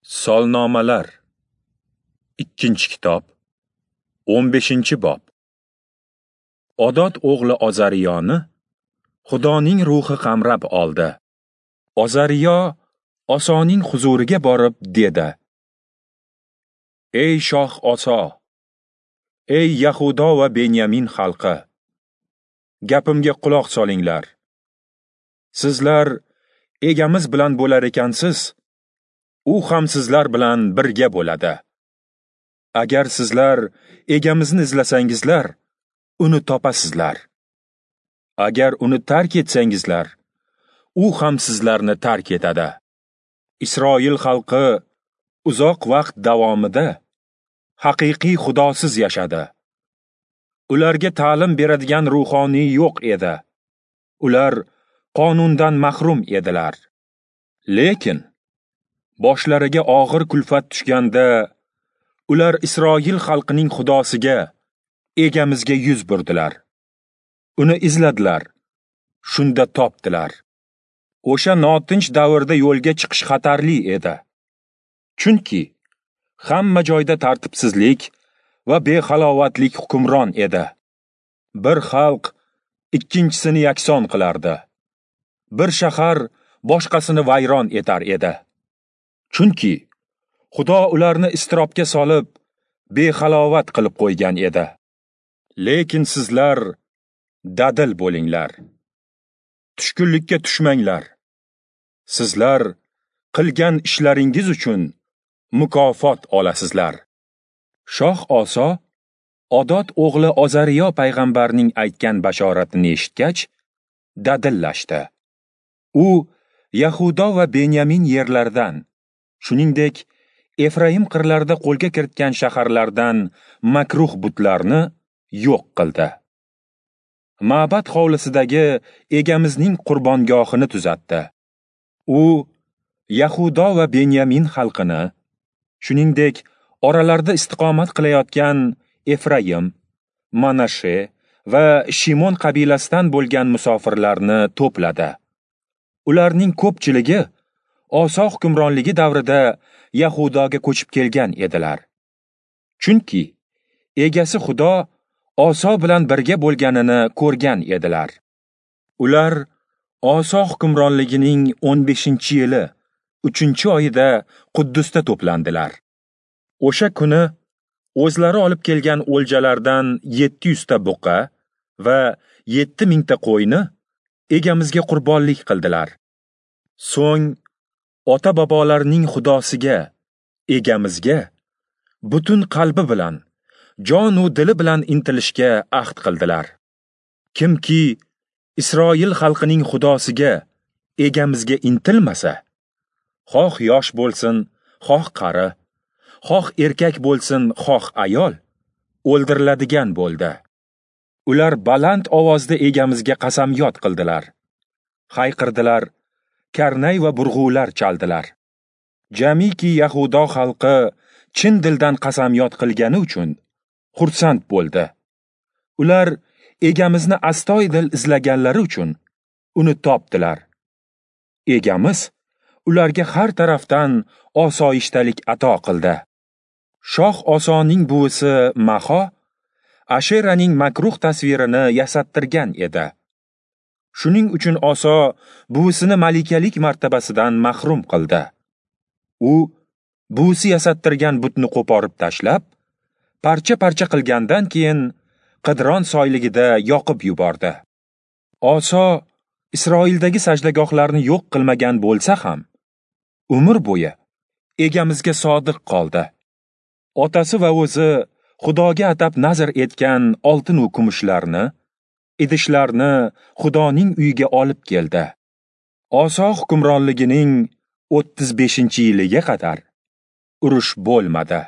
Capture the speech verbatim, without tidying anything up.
Solnomalar, ikkinchi kitob, o'n beshinchi bob. Odod o'g'li Ozariyoni Xudoning ruhi qamrab oldi. Ozariyo Osoning huzuriga borib dedi: Ey shoh Oso, ey Yahudo va Benyamin xalqi, gapimga quloq solinglar. Sizlar egamiz bilan bo'lar ekansiz, u ham sizlar bilan birga bo'ladi. Agar sizlar egamizni izlasangizlar, uni topasizlar. Agar uni tark etsangizlar, u ham sizlarni tark etadi. Isroil xalqi uzoq vaqt davomida haqiqiy Xudosiz yashadi. Ularga ta'lim beradigan ruhoniy yo'q edi. Ular qonundan mahrum edilar. Lekin boshlariga og'ir kulfat tushganda, ular Isroil xalqining Xudosiga, egamizga yuz burdilar. Uni izladilar, shunda topdilar. O'sha notinch davrda yo'lga chiqish xatarli edi. Chunki hamma joyda tartibsizlik va behalovatlik hukmron edi. Bir xalq ikkinchisini yakson qilardi. Bir shahar boshqasini vayron etar edi. Chunki Xudo ularni iztirobga solib, behalovat qilib qo'ygan edi. Lekin sizlar dadil bo'linglar. Tushkunlikka tushmanglar. Sizlar qilgan ishlaringiz uchun mukofot olasizlar. Shoh Oso Odod o'g'li Ozariyo payg'ambarning aytgan bashoratini eshitgach, dadillashdi. U Yahudo va Benyamin yerlaridan, shuningdek Efraim qirlarida qo'lga kiritgan shaharlardan makruh butlarni yo'q qildi. Ma'bad hovlisidagi egamizning qurbongohini tuzatdi. U Yahudo va Benyamin xalqini, shuningdek oralarida istiqomat qilayotgan Efraim, Manashe va Shimon qabilasidan bo'lgan musofirlarni to'pladi. Ularning ko'pchiligi Oso hukmronligi davrida Yahudoga ko'chib kelgan edilar. Chunki egasi Xudo Oso bilan birga bo'lganini ko'rgan edilar. Ular Oso hukmronligining o'n beshinchi yili uchinchi oyida Quddusda to'plandilar. O'sha kuni o'zlari olib kelgan o'ljalardan yetti yuzta buqa va yetti mingta qo'yni egamizga qurbonlik qildilar. So'ng ota-bobolarining Xudosiga, egamizga butun qalbi bilan, jon u dili bilan intilishga ahd qildilar. Kimki Isroil xalqining Xudosiga, egamizga intilmasa, xoh yosh bo'lsin, xoh qari, xoh erkak bo'lsin, xoh ayol, o'ldiriladigan bo'ldi. Ular baland ovozda egamizga qasamyod qildilar. Hayqirdilar, karnay va burg'ular chaldilar. Jamiki Yahudo xalqi chin dildan qasamyod qilgani uchun xursand bo'ldi. Ular egamizni astoydil izlaganlari uchun uni topdilar. Egamiz ularga har tarafdan osoyishtalik ato qildi. Shoh Osoning buvisi Maho Asheraning makruh tasvirini yasattirgan edi. Shuning uchun Oso buvisini malikalik martabasidan mahrum qildi. U buvisi yasattirgan butni qo'porib tashlab, parcha-parcha qilgandan keyin Qidron soyligida yoqib yubordi. Oso Isroildagi sajdagohlarni yo'q qilmagan bo'lsa ham, umr bo'yi egamizga sodiq qoldi. Otasi va o'zi Xudoga atab nazr etgan oltin va kumushlarni, idishlarni Xudoning uyiga olib keldi. Oso hukmronligining o'ttiz beshinchi yiliga qadar urush bo'lmadi.